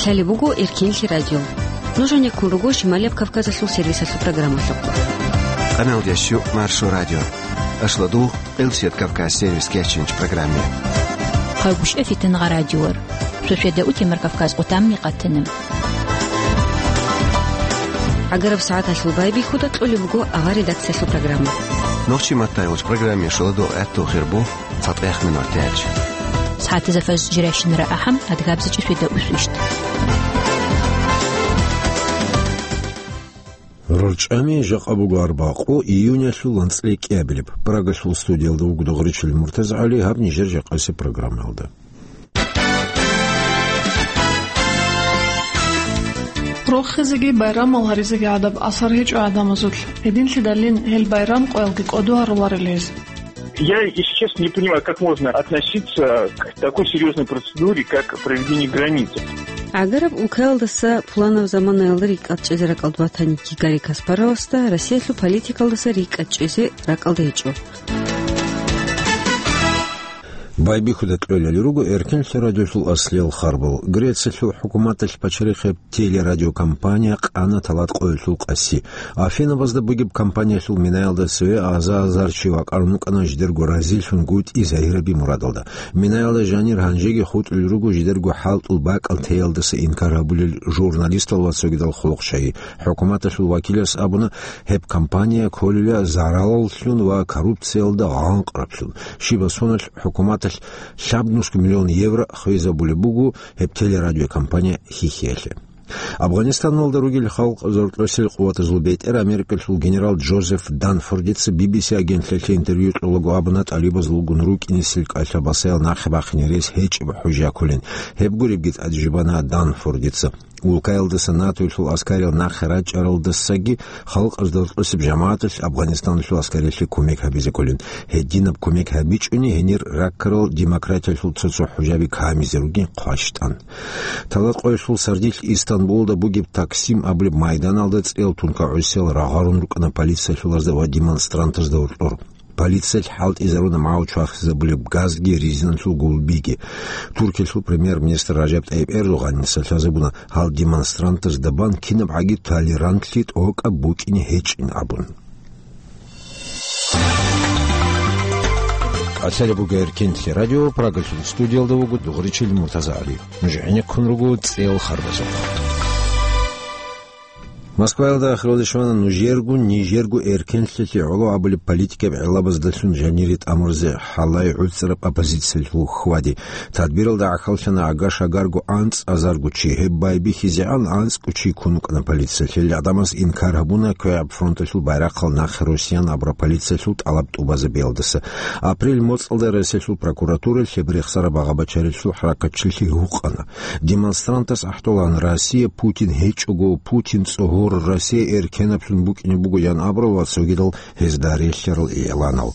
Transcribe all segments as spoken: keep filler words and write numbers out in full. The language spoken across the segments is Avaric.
Цали буго Эркенлъи радио. Нуж гьанеккун руго Шималияб Кавказалъул сервисалъул программалъухъ. Къаналдящу Маршо радио. Ашладу Къилсият Кавказ сервис кечинч программе. Хъагушев Фитангъа радиор. Шошеда утемар Кавказ къутамни къатана. Агараб сагӀаталъул байбихьуда кьолеб буго агъа редакциялъул программа. Нохчи маттайгъуч программе шоладу гӀатту хирбу. ЦатӀехъ минутач. СагӀатазда фаз жирайщинара ахӀам, адгабзачӀи шведа усвищт. РорчӀами жакъа буго арбакъу июнялъул анцӀила кӀиабилеб. Прагалъул студиялда вуго Догъричил МуртазагӀали, гьаб нижер жакъасеб программаялда. Рохизеги байрамал гьаризеги гӀадаб асар гьечӀо гӀадамазулъ. Гьединлъидалин гьел байрам къоялги кӀодо гьаруларел гьез. Я, если честно, не понимаю, как можно относиться к такой серьёзной процедуре, как проведение границы. Агараб улкаялдаса пуланаб заманаялда рикӀкӀад чӀезе ракӀалда батани, Гарри Каспаровасда Россиялъул политикалдаса рикӀкӀад чӀезе ракӀалда гьечӀо. Байбихьуда кьолали руго Эркенлъи радиолъул аслиял харбал. Грециялъул хӀукуматалъ пачарихъеб телерадиокомпания къана талат къоялъул къаси. Афинабазда бугеб компаниялъул минаялда цеве аза-азар чи вакӀарун вукӀана жидерго разилъунгутӀи загьираби мурадалда. Минаялда жанир гьанжеги хутӀулел руго жидерго хӀалтӀул бакӀал теялдаса инкар гьабулел журналистал ва цогидал хъулухъчагьи. ХӀукуматалъул вакилас абуна, гьеб компания кколила зараллъун ва коррупциялда гъанкъраблъун. Щибаб соналъ хӀукуматалъ лъабнусго миллион евро хвезабулеб буго гьеб телерадиокомпания хьихьиялъе. Афганистаналда ругел халкъ зоркьосел къуватазул бетӀер Америкалъул генерал Джозеф Данфордица Би Би Си агентлъиялъе интервью кьолаго абуна, тӀалибазулгун рукӀинесел кӀалъа-басаял нахъе бахъине рес гьечӀеб хӀужа кколин. Гьеб гуребги тӀаде жибана Данфордица. Улкаялдаса НАТОялъул аскариял нахъе рачӀаралдасаги халкъалъ доркьосеб жамагӀаталъ Афганистаналъул аскариялъе кумек гьабизе кколин. Гьединаб кумек гьабичӀони гьенир раккарал демократиялъул цо-цо хӀужаби камизе ругин хъващтӀан. Талат къоялъул сардилъ Истанбулалда бугеб Таксим абулеб майданалда цӀел тункагӀусиял рагъарун рукӀана полициялъулазда ва демонстрантазда гьоркьор. Полициялъ хӀалтӀизаруна магӀу чвахизабулеб газги резиналъул гулбиги. Туркиялъул премьер-министр Ражаб ТӀайиб Эрдогъаница лъазабуна гьал демонстрантазда бан кинабгӀаги толерантлъи тӀокӀаб букӀине гьечӀин абун. КӀалъалеб буго Эркенлъи радио, Прагалъул студиялда вуго Дугъричил МуртазагӀали. Нуж гӀенеккун руго цӀел харбазухъ. Москваялда ахиралде щвана нужерго, нижерго эркенлъилъи гӀоло абулеб политикаб гӀелабаздалъун жанире тӀамурзе хӀалай гӀуцӀараб оппозициялъул хьвади. Тадбиралда гӀахьаллъана ага-шагарго анцӀазарго чи. Гьеб байбихьизегӀан анцӀго чи ккун вукӀана полициялъе. Гьел гӀадамаз инкар гьабуна КвегӀаб фронталъул байрахъал нахъе росиян абураб полициялъул тӀалаб тӀубазабиялдаса. Апрель моцӀалда Россиялъул прокуратуралъ гьеб рехсараб багъа-бачарилъул хӀаракатчилъи гьукъана. Демонстрантас ахӀдолан: «Россия Путин гьечӀого, Путин цӀогьор, Россия эркенаблъун букӀине буго», – ян абурал ва цогидал гьезда релълъарал игӀланал.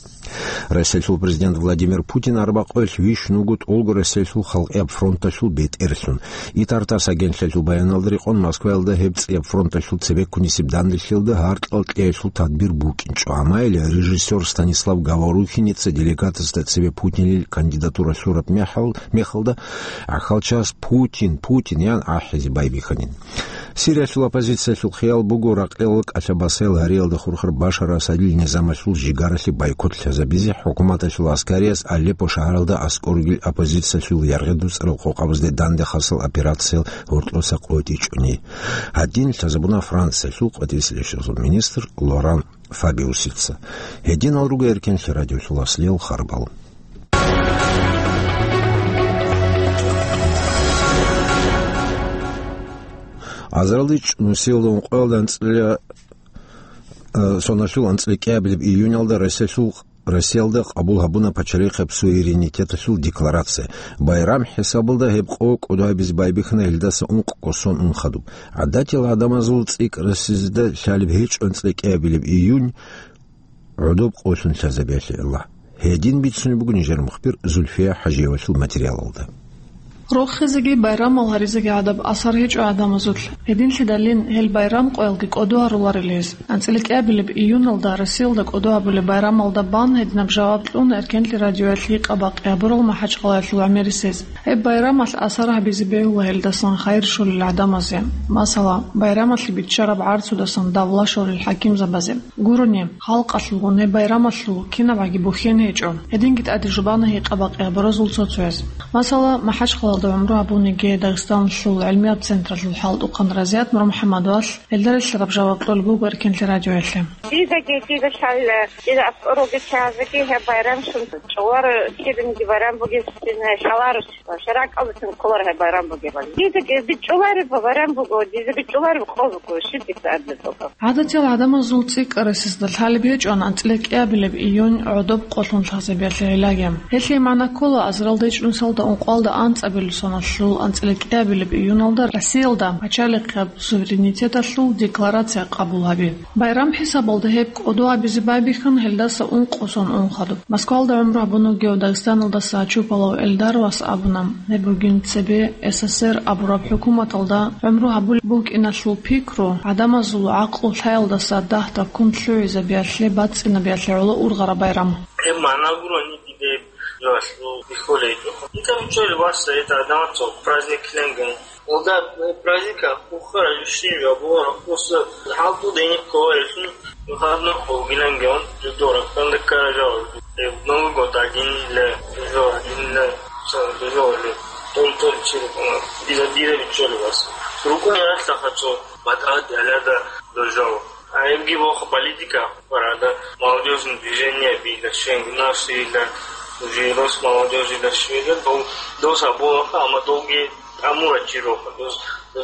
Россиялъул президент Владимир Путин арбакъоялъ вищун вуго тӀолго Россиялъул халкъияб фронталъул бетӀерлъун. Итартас агентлъиялъул баяналда рекъон, Москваялда гьеб цӀияб фронталъул цебеккунисеб данделъиялда гьаркьал кьеялъул тадбир букӀинчӀо. Амма режиссер Станислав Говорухиница делегатазда цебе Путинил кандидатура лъураб мехал-, мехалда гӀахьалчас «Путин, Путин!» ян ахӀизе байбихьанин. Сириялъул оппозициялъул хиял буго ракъел кӀалъа-басел гьариялда хурхар Башар Асадил низамалъул жигаралъе бойкот лъазабизе, хӀукуматалъул аскарияс Алеппо шагьаралда аскӀор ругел оппозициялъул яргъи дуцӀарал къокъабазде дандехъасал операциял гьоркьоса къотӀичӀони. Гьадин лъазабуна Франциялъул къватӀире лъечӀезул министр Лоран Фабиусица. Гьединал руго Эркенлъи радиолъул аслиял харбал. Азаралде чӀун нусиялда ункъоялда анцӀила, э, соналъул анцӀила кӀиабилеб июнялда Россиялъул Россиялда къабул гьабуна пачалихъеб суверенитеталъул декларация. Байрам хӀисабалда гьеб къо кӀодо гьабизе байбихьана гьелдаса ункъго сон ун хадуб. ГӀадатиял гӀадамазул цӀикӀкӀарасезда лъалеб гьечӀо анцӀила кӀиабилеб июнь гӀодоб къолъун лъазабиялъе Аллагь. Гьедин бицунеб буго нижер мухбир Зульфия ХӀажиевалъул материалалда. Рохизеги байрамал гьаризеги гӀадаб асар гьечӀо гӀадамазулъ. Гьединлъидалин гьел байрам къоялги кӀодо гьаруларила гьез. АнцӀила кӀиабилеб июналда Россиялда кӀодо гьабулеб байрамалда бан гьединаб жаваб кьуна Эркенлъи радиоялъ гьикъа-бакъи гьабурал МахӀачхъалаялъул гӀемерисез. Гьеб байрамалъ асар гьабизе бегьула гьелдасан хайир щолел гӀадамазе. Масала, байрамалъе биччараб гӀарцудасан давла щолел хӀакимзабазе. Гурони, халкъалъулгун гьеб байрамалъул кинабгӀаги бухьен гьечӀо. Гьединги тӀаде жубана гьикъа-бакъи гьабуразул цо-цояз. Масала, МахӀачхъалаялда гӀумру гьабуниги Дагъистаналъул гӀилмияб централъул хӀалтӀухъан Разият НурмухӀаммадовалъ гьелда релълъараб жаваб кьолеб буго Эркенлъи радиоялъе. Дидаги, дида щайила, дида аскӀорулги чагӀазеги гьеб байрам щун чӀоларо, киданиги байрам бугесин, шаларо, шарагӀкӀалдасин кколаро гьеб байрам бугебали. Дидаги бичӀчӀулареб байрам буго, дида бичӀчӀулареб къо буго, щиб дица абилеб буго. ГӀадатиял гӀадамазул цӀикӀкӀарасезда лъалеб гьечӀоан анцӀила кӀиабилеб июнь гӀодоб къолъун лъазабиялъе гӀиллаги. Гьелъие магӀна ккола азаралда ичӀнусиялда ункъоялда анцӀабилеб соналъул анцӀила кӀиабилеб июналда Россиялда пачалихъаб суверенитеталъул декларация къабул гьаби. Байрам хӀисабалда гьеб кӀодо гьабизе байбихьан гьелдаса ункъо сон ун хадуб. Москвалда гӀумру гьабун вугев Дагъистаналдаса Чупалав Эльдар вас абуна, гьеб бугин цебе СССР абураб хӀукуматалда гӀумру гьабулеб букӀиналъул пикру гӀадамазул гӀакълу-лъаялдаса дагь-такун лъугӀизабиялъе бацӀцӀинабиялъе гӀоло ургъараб байрам. Гьеб магӀна гурони диде жоялъул бихьулей. Итаб чӀолеб васса, это адамацо праздник кленген. Олда праздника ухара юшин я бугара просто халту деник коэсун выходной холгилангеон жидора кандакара жал. Новый год один ле жо один ле сан жо ле тон тон чиркуна. Дида дида бичоле вас. Рукуни расла хачо батат аляда дожал. А эбги бохо политика парада молодёжное движение бида шенг наши да уже рос молодёжи да шведа дол доса болаха ама долги амура чироха дос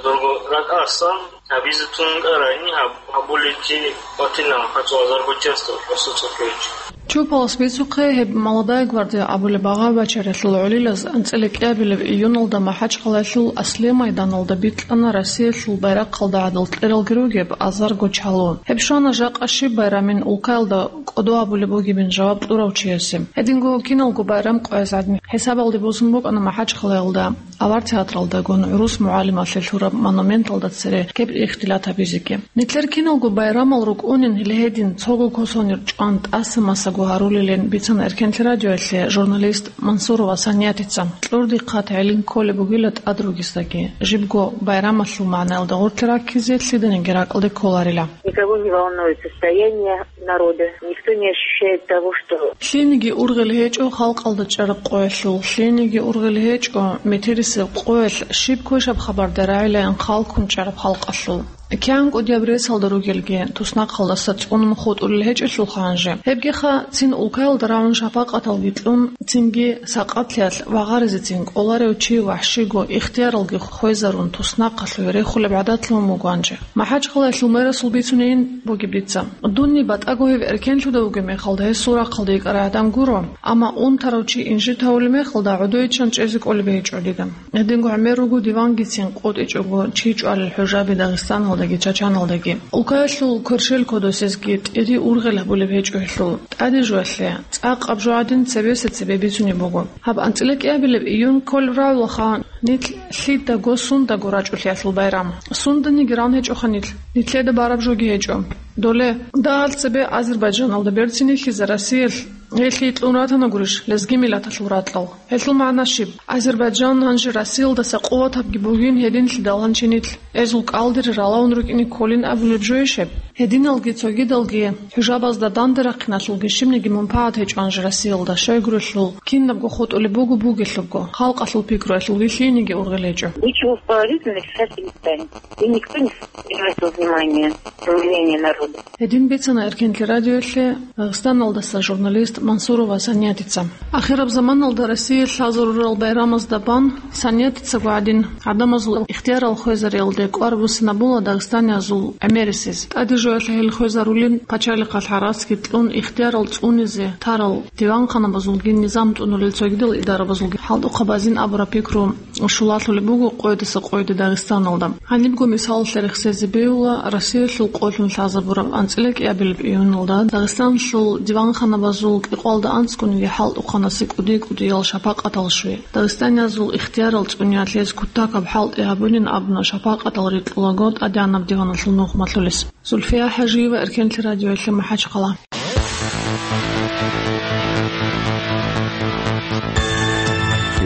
дорго рад асан. Гьабизе тункӀарайни гьаб-, гьабулелги батила хӀацӀу азарго часто просто цохӀойчи. Чупалас бицухъе гьеб «Молодая гвардия» абулеб багъа-бачаралъул гӀолилаз анцӀила кӀиабилеб июналда МахӀачхъалаялъул аслияб майданалда бикьана Россиялъул байрахъалда гӀадал кьералги ругеб азарго чалу. Гьеб щвана жакъа щиб байрамин улкаялда кӀодо гьабулеб бугебин жаваб кьурав чиясе. Гьединго киналго байрам къояз гӀадин хӀисабалде босун букӀана МахӀачхъалаялда. Авар театралдагун гӀурус мугӀалималъе лъураб монументалда цере кеб ихтилат гьабизеги. Нилъер киналго байрамал рукӀунин гьеле гьедин цого косонир чӀван тӀаса-масаго гьарулилин бицана Эркенлъи радиоялъе журналист Мансурова Саниятица. Кьурдихъат гӀелин кколеб бугила тӀад ругесдаги, жибго байрамалъул магӀнаялда гъорлъе раккизе лъиданиги ракӀалде кколарила. Никого не волнует состояние народа, никто не ощущает того, что... Лъиениги ургъел гьечӀо халкъалда чӀараб къоялъул, лъиениги ургъел гьечӀо метерисеб къоялъ щиб квешаб хабарда рагӀилаян хъалккун чӀараб халкъалъул. КигӀан кӀудияб ресалда ругелги, туснахъалдаса цӀунун хутӀулел гьечӀелъулха гьанже. Гьебгиха цин улкаялда рагӀун шапакъаталги кьун, цинги сакъатлъиялъ вагъаризецин кӀоларев чи вахӀщиго ихтияралги хвезарун туснахъалъуве рехулеб гӀадатлъун вуго гьанже. МахӀачхъалаялъул мэрасул бицунейин бугеб дица. Дунни батӀаго гьев эркенлъуда вугеб мехалда гьесул рахъалда йикӀарай гӀадам гуро, амма унтарав чи инжит гьавулеб мехалда гӀодойичӀан чӀезе кӀолеб гьечӀо дида. Гьединго гӀемер руго дивангицин къотӀичӀого чи чӀвалел хӀужаби Дагъистаналдаги Чачаналдаги. Улкаялъул кверщел кодосезги тӀири ургъел гьабулеб гьечӀо гьелъул. ТӀаде жоялъе, цӀакъаб жо гӀадин цебеса цебе бицунеб буго. Гьаб анцӀила кӀиабилеб июнь кколеб рагӀулаха нилъ лъидаго сундаго рачӀулъиялъул байрам. Сунданиги ран гьечӀоха нилъ. Нилъеда бараб жоги гьечӀо. Доле, дагьал цебе Азербайджаналда берцинихьизе Россиялъ гьелъие кьун ратана гурищ лезги миллаталъул ракьал? Гьелъул магӀна щиб? Азербайджан гьанже Россиялдаса къуватабги бугин гьединлъидал гьанчи нилъ эзул кӀалдире ралаун рукӀине кколин абулеб жойищ гьеб? Гьединалги цогидалги хӀужабазда данде рахъиналъулги щибниги мунпагӀат гьечӀо гьанже Россиялда, щайгурелъул кинабго хутӀулеб буго бугелъубго, халкъалъул пикруялъулги лъиениги ургъел гьечӀо. Ничего положительного сейчас не станет. И никто не обратил внимания на мнение народа. Гьедин бицана Эркенлъи радиоялъе Дагъистаналдаса журналист Мансурова Саниятица. Ахираб заманалда Россиялъ лъазарурал байрамазда бан Саниятицаго гӀадин, гӀадамазул ихтиярал хвезариялде кӀвар буссинабула дагъистаниязул гӀемерисез. ТӀаде жоялъе гьел хвезарулин пачалихъалъ гӀарацги кьун ихтиярал цӀунизе тарал диванханабазулги низам тӀунулел цогидал идарабазулги хӀалтӀухъабазин абураб пикру щулалъулеб буго къойдаса къойде Дагъистаналда. Гьанибго мисалалъе рехсезе бегьула Россиялъул къолъун лъазабураб анцӀила кӀиабилеб июналда Дагъистаналъул диванханабазул кӀикъоялда анцӀгониги хӀалтӀухъанасе кӀуди-кӀудиял шапакъатал щвей. Дагъистаниязул ихтиярал цӀуниялъ гьез кутакаб хӀалтӀи гьабунин абуна шапакъатал рикьулаго тӀадегӀанаб диваналъул нухмалъулес. Зульфия ХӀажиева, Эркенлъи радиоялъе МахӀачхъала.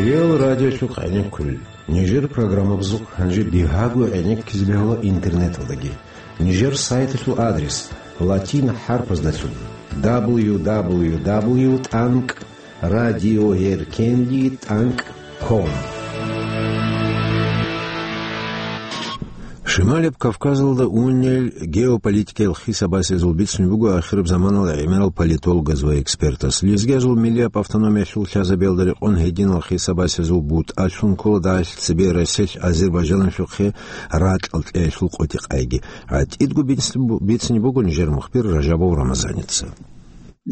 Реал радиолъухъ гӀенеккулел. Нижер программабазухъ гьанже бигьаго гӀенеккизе бегьула интернеталдаги. Нижер сайталъул адрес латин хӀарпаздалъун: дабл ю дабл ю дабл ю тӀанкӀ радиоэркенлъи тӀанкӀ ком. Шималаб Кавказалда унел геополитикиял хисабасезул бицунеб буго ахираб заманалда гӀемерал политологаз ва экспертас. Лезгиязул миллияб автономиялъул лъазабиялда рекъон гьединал хисабасезул бутӀалъун ккола дагьалъ цебе Россиялъ Азербайджаналъухъе ракьал кьеялъул къотӀи-къайги. ГӀатӀидго бицни-, бицни буго нижер мухбир Ражабов Рамазаница.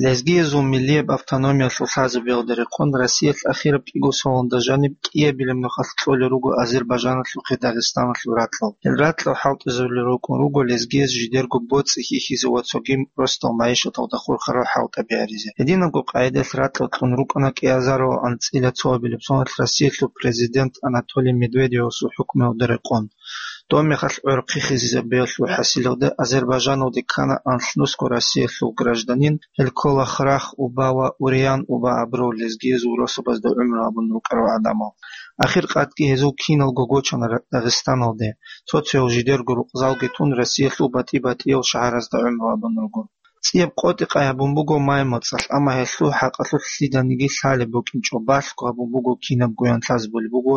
Лезгиязул миллияб автономиялъул лъазабиялда рекъон Россиялъ ахираб кӀиго соналда жаниб кӀиабилеб нухалъ кьолел руго Азербайджаналъухъе Дагъистаналъул ракьал. Гьел ракьал хӀалтӀизабулел рукӀун руго лезгияз жидерго боцӀи хьихьизе ва цоги росдал магӀишаталда хурхарал хӀалтӀаби гьаризе. Гьединабго къагӀидаялъ ракьал кьун рукӀана кӀиазарал анцӀила цоабилеб соналъ Россиялъул президент Анатолий Медведевасул хӀукмуялда рекъон. Доб мехалъ гӀорхъи хисизабиялъул хӀасилалда Азербайджаналде ккана анлънусго Россиялъул гражданин, гьел ккола Храх Уба ва Уриан Уба абурал лезгиязул росабазда гӀумру гьабун рукӀарал гӀадамал. Ахир къадги гьезул киналго гочана Ра-, Дагъистаналде. Цо-цоял жидерго рукъзалги тун Россиялъул батӀи-батӀиял шагьаразда гӀумру гьабун руго. ЦӀияб къотӀи-къай гьабун буго май моцӀалъ, амма гьелъул хӀакъалъулъ лъиданиги лъалеб букӀинчӀо, балъго гьабун буго кинабгоян лъазабулеб буго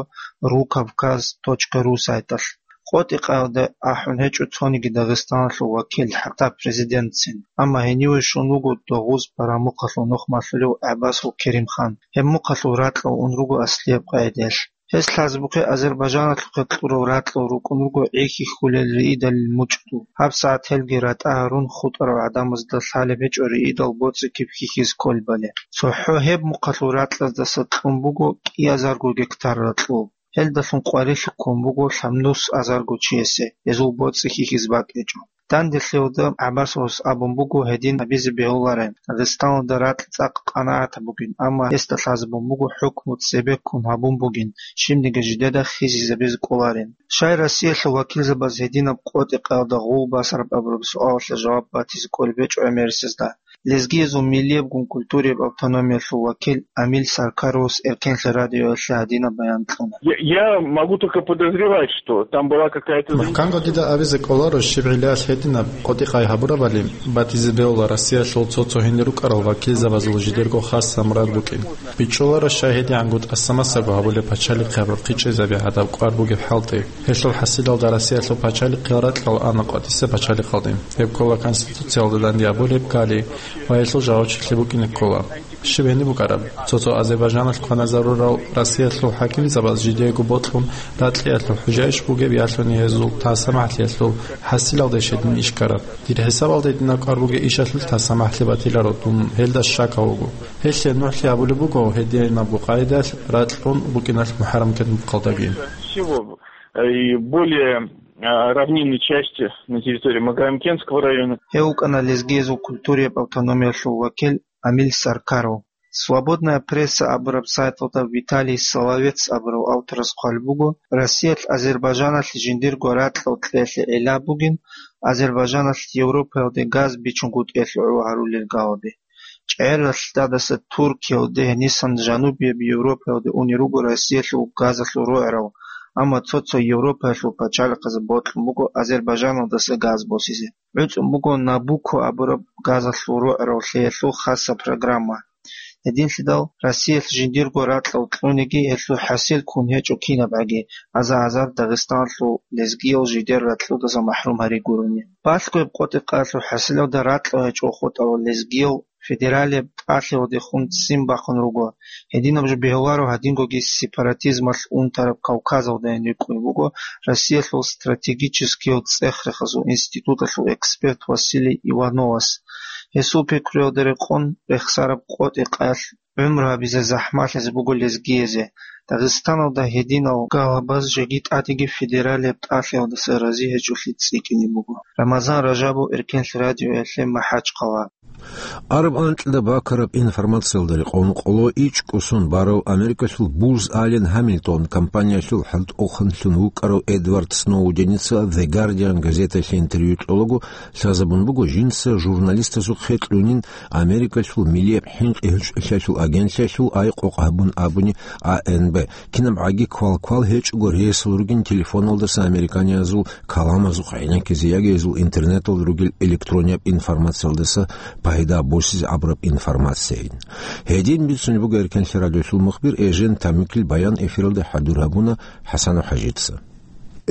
ру кавказ точка ру сайталъ. КъотӀи-къайалда ахӀун гьечӀо цониги Дагъистаналъул вакил, хӀатта президентцин, амма гьениве щун вуго догъоз парамухъалъул нухмалъулев ГӀаббасул Керимхан. Гьеб мухъалъул ракьал ун руго аслияб къагӀидаялъ. Гьес лъазабухъе Азербайджаналъухъе кьурал ракьал рукӀун руго гӀи хьихьулел риидалил мучӀдул. ГьабсагӀат гьелги ратӀа гьарун хутӀарал гӀадамазда лъалеб гьечӀо риидал боцӀи киб хьихьизе кколебали. ЦохӀо гьеб мухъалъул ракьаздаса кьун буго кӀиазарго гектар ракьул. Гьелдалъун къварилъи ккун буго лъабнус азарго чиясе, гьезул боцӀи хьихьизе бакӀ гьечӀо. Данделъиялда ГӀаббасовас абун буго гьедин гьабизе бегьуларин, Дагъистаналда ракь цӀакъ къанагӀатаб бугин, амма гьесда лъазабун буго хӀукму цебеккун гьабун бугин, щибниги жидеда хисизабизе кӀоларин. Щай Россиялъул вакилзабаз гьединаб къотӀи-къаялда гъул басараб абураб суалалъе жаваб батизе кӀолеб гьечӀо гӀемерисезда. Лезгиязул миллиябгун культурияб автономиялъул вакил Амил Саркаровас Эркенлъи радиоялъе гьадинаб баян кьуна. Я, я могу только подозревать, что там была какая-то... МухӀканго дида абизе кӀоларо щиб гӀиллаялъ гьединаб къотӀи-къай гьабурабали, батизе бегьула Россиялъул цо-цо гьенир рукӀарал вакилзабазул жидерго хасса мурад букӀин. БичӀчӀуларо щай гьедигӀанго тӀаса-масаго гьабулеб пачалихъи гьабураб хъичӀезаби гьадаб кӀвар бугеб хӀалтӀи. Гьелъул хӀасилалда Россиялъул пачалихъиял ракьал ана къватӀиса пачалихъалде. Гьеб ккола Конституциялда данде гьабулеб ккали ва гьелъул жагьурчилъи букӀине ккола. Щиб гьениб букӀараб? Цо-цо Азербайджаналъ кваназарурал Россиялъул хӀакимзабаз жидеего бокьун ракьиялъул хӀужаищ бугеб ялъуни гьезул тасамахӀлъиялъул хӀасилалдеш гьедин иш ккараб? Дир хӀисабалда гьединаб кӀвар бугей ишалъулъ тасамахӀлъи батиларо дун, гьелда щакал вуго. Гьелъие нугӀлъи гьабулеб буго гьединабго къагӀидаялъ ракьун букӀиналъ МухӀаррам кедмухъалдаги. Всего, э, и более, э, равнинной части на территории Магарамкентского района. Гьев вукӀана лезгиязул культурияб автономиялъул вакил Амил Саркаров. Свободная пресса абураб сайталда Виталий Соловец абурав авторас хъвалеб буго, Россиялъ Азербайджаналъе жиндирго ракьал кьеялъе гӀилла бугин, Азербайджаналъ Европаялде газ бичунгутӀиялъе гӀоло гьарулел гаваби. ЧӀегӀералъ тӀадаса Туркиялде, гьенисан жанубияб Европаялде унел руго Россиялъул газалъул рогӀерал, амма цо-цо Европаялъул пачалихъазе бокьун буго Азербайджаналдаса газ босизе. ГӀуцӀун буго Набуко абураб газалъул рогӀерал лъеялъул хасса программа. Гьединлъидал Россиялъ жиндирго ракьал кьуниги гьелъул хӀасил ккун гьечӀо кинабгӀаги, аза-азар Дагъистаналъул лезгиял жидер ракьалдаса махӀрум гьари гурони. Балъго гьеб къотӀи-къаялъул хӀасилалда ракьал гьечӀо хутӀарал лезгиял федералияб тӀалъиялдехун ццин бахъун руго. Гьединаб жо бегьуларо гьадингоги сепаратизмалъ унтараб Кавказалдайин рикӀкӀунеб буго Россиялъул стратегическиял цӀех-рехазул институталъул эксперт Василий Ивановас. Гьесул пикруялда рекъон, рехсараб къотӀи-къаялъ гӀумру гьабизе захӀмалъизе буго лезгиязе. Дагъистаналда гьединал гьалабаз жеги тӀадеги федералияб тӀалъиялдаса рази гьечӀолъи цӀикӀкӀине буго. Рамазан Ражабов, Эркенлъи радиоялъе, МахӀачхъала. Араб анкьида бакараб информациялда рекъон къоло ичӀго сон барав Америкалъул Booz Allen Hamilton компаниялъул хӀалтӀухъанлъун вукӀарав Эдвард Сноуденица The Guardian газеталъе интервью кьолаго лъазабун буго жинца журналистазухъе кьунин Америкалъул милияб хӀинкъи-гьечӀолъиялъул агентлъиялъул айкъукъ гьабун абуни А Н Б. Кинаб гӀаги квал-квал гьечӀого ресал ругин телефоналдаса американиязул каламазухъ гӀенеккизе яги гьезул интернеталда ругел электронияб информациялдаса пайда босизе гӀабураб информацияйин. Гьедин бицунеб буго Эркенлъи радиолъул мухбир Эжен Тамикил баян, эфиралда хӀадур гьабуна ХӀасанов ХӀажица.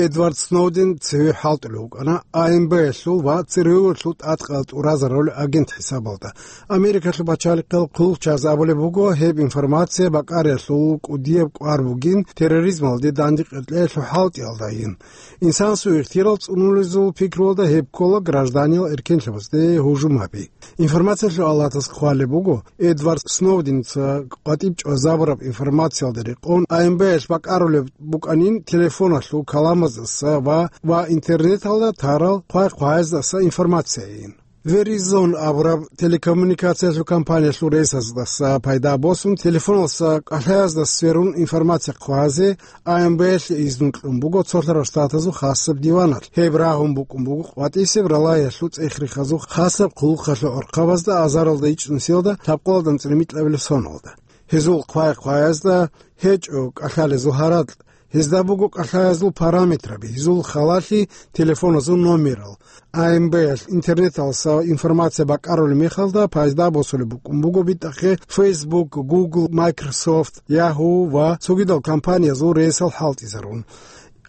Эдвард Сноуден цеве хӀалтӀулев вукӀана А Н Б-ялъул ва ЦРУ-ялъул тӀадкъал тӀуразарулел агент хӀисабалда. Америкалъул пачалихъал хъулухъчияз абулеб буго, гьеб информация бакӀариялъул кӀудияб кӀвар бугин терроризмалде дандекъеркьеялъул хӀалтӀиялдайин. Инсанасул ихтияр цӀунулезул пикруялда гьеб ккола гражданиял эркенлъабазде гьужум гьаби. Информациялъул алатас хъвалеб буго, Эдвард Сноуденца къватӀиб чӀвазабураб информациялда рекъон А Н Б-ялъ бакӀарулеб букӀанин телефоналъул каламаздаса ва, ва интернеталда тарал хъвай-хъваяздаса информацияйин. Verizon абураб телекоммуникациялъул компаниялъул рейсаздаса пайда босун, телефоналса кӀалъаязда сверун информация хъвазе А Н Б-ялъе изнун кьун буго Цолъарал Штатазул хасаб диваналъ. Гьеб рагьун букӀун буго къватӀисеб ралагьиялъул цӀех-рехазул хасаб хъулухъалъул гӀурхъабазда азаралда ичӀнусиялда лъабкъоялда анцӀила микьабилеб соналда. Гьезул хъвай-хъваязда гьечӀо кӀалъалезул гьаракь, гьезда буго кӀалъаязул параметраби, гьезул халалъи, телефоназул номерал. А Н Б-ялъ интернеталса информация бакӀарулеб мехалда пайда босулеб букӀун буго битӀахъе Facebook, Google, Microsoft, Yahoo ва цогидал компаниязул рейсал хӀалтӀизарун.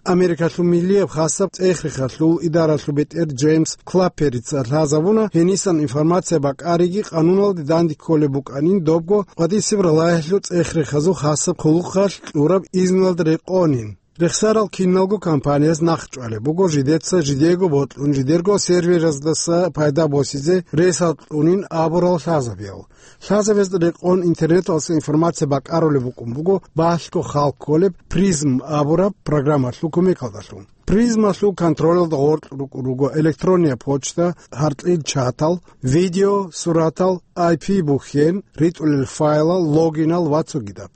Америкалъул милияб хасаб цӀех-рехалъул идаралъул бетӀер Джеймс Клапперица лъазабуна, гьенисан информация бакӀариги къануналде данде кколеб букӀанин, добго къватӀисеб ралагьиялъул цӀех-рехазул хасаб хъулухъалъ кьураб изнулалда рекъонин. Рехсарал киналго компанияз нахъ чӀвалеб буго жидеца жидего бокьун, жидерго сервераздаса пайда босизе ресал кьунин абурал лъазабиял. Лъазабиязда рекъон интернеталса информация бакӀарулеб букӀун буго балъго хал кколеб Призм абураб программалъул кумекалдалъун. Призмалъул контролалда гъоркь рукӀун руго электронная почта, гьаркьил чатал, видео, суратал, I P бухьен, ритӀулел файлал, логинал ва цогидаб.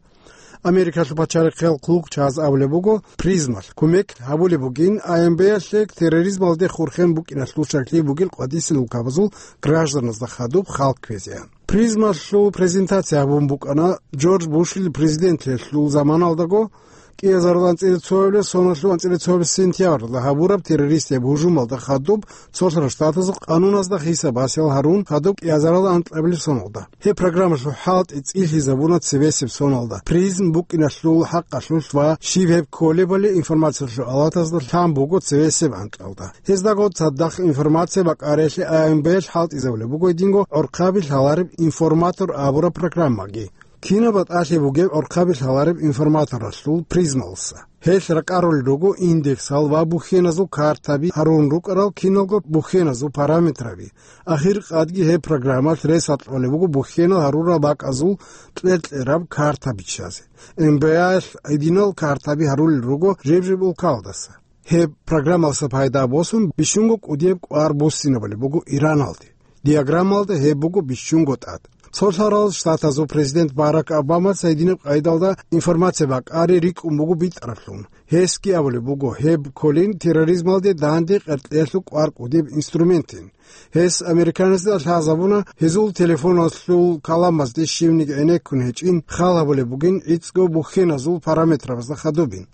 Америкалъул пачалихъал хъулухъчияз абулеб буго, Призмалъ кумек гьабулеб бугин А Н Б-ялъе терроризмалде хурхен букӀиналъул щаклъи бугел къватӀисел улкабазул гражданазда хадуб хал кквезеян. Призмалъул презентация гьабун букӀана Джордж Бушил президентлъиялъул заманалдаго, кӀиазарул анцӀила цоябилеб соналъул анцӀила цоябилеб сентябралда гьабураб террористияб гьужумалда хадуб, Цолъарал Штатазул къануназда хисаб-гьасиял гьарун хадуб кӀиазарул анкьабилеб соналда. Гьеб программалъул хӀалтӀи цӀилъизабуна цебесеб соналда, Призм букӀиналъул хӀакъалъулъ ва щиб гьеб кколебали информациялъул алатазда лъан буго цебесеб анкьалда. Гьездаго цадахъ информация бакӀариялъе А Н Б-ялъ хӀалтӀизабулеб буго гьединго гӀорхъаби лъалареб информатор абураб программаги. Кинаб батӀалъи бугеб гӀорхъаби лъалареб информаторалъул Призмалса? Гьелъ ракӀарулел руго индексал ва бухьеназул картаби гьарун рукӀарал киналго бухьеназул параметраби. Ахир къадги гьеб программалъ рес гьарулеб буго бухьенал гьарурал бакӀазул кьер-кьераб карта биччазе. М Б А-ялъ гьединал картаби гьарулел руго жеб-жеб улкалдаса. Гьеб программалса пайда босун бищунго кӀудияб кӀвар буссинабулеб буго Ираналде. Диаграммалда гьеб буго бищунго тӀад. Цолъарал Штатазул президент Барак Обамаца гьединаб къайдалда информация бакӀари рикӀкӀун буго битӀараблъун. Гьесги абулеб буго, гьеб кколин терроризмалде данде къеркьеялъул кӀвар кӀудияб инструментин. Гьес американецда лъазабуна, гьезул телефоналъул каламазде щивниги гӀенеккун гьечӀин хал гьабулеб бугин гӀицӀго бухьеназул параметрабазда хадубин.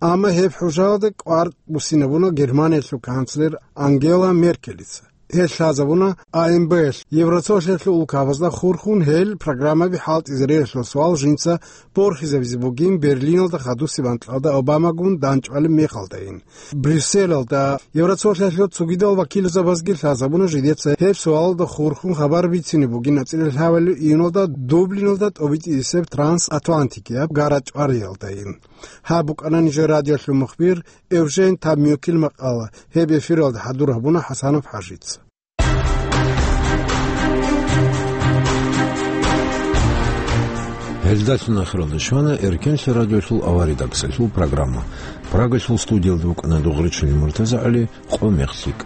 Амма гьеб хӀужаялда кӀвар буссинабуна Германиялъул канцлер Ангела Меркелица. Гьел лъазабуна А М Б-ялъ Евроцолъиялъул улкабазда хурхун гьел программаби хӀалтӀизариялъул суал жинца борхизабизе бугин Берлиналда хадусеб анкьалда Обамагун дандчӀвалеб мехалдайин. Брюсселалда Евроцолъиялъул цогидал вакилзабазги лъазабуна жидеца гьеб суалалда хурхун хабар бицине бугин анцӀила лъабабилеб июналда Дублиналда тӀобитӀисеб трансатлантикияб гара чӀвариялдайин. Гьаб букӀана нижер радиолъул мухбир Эвжен Таммюкил макъала. Гьеб эфиралда хӀадур гьабуна ХӀасанов ХӀажица. Гьелдалъун ахиралда щвана Эркенлъи радиолъул аваридаксалъул программа. Прагалъул студиялда вукӀана Дугъричилин МуртазагӀали, къо мех лъикӀ.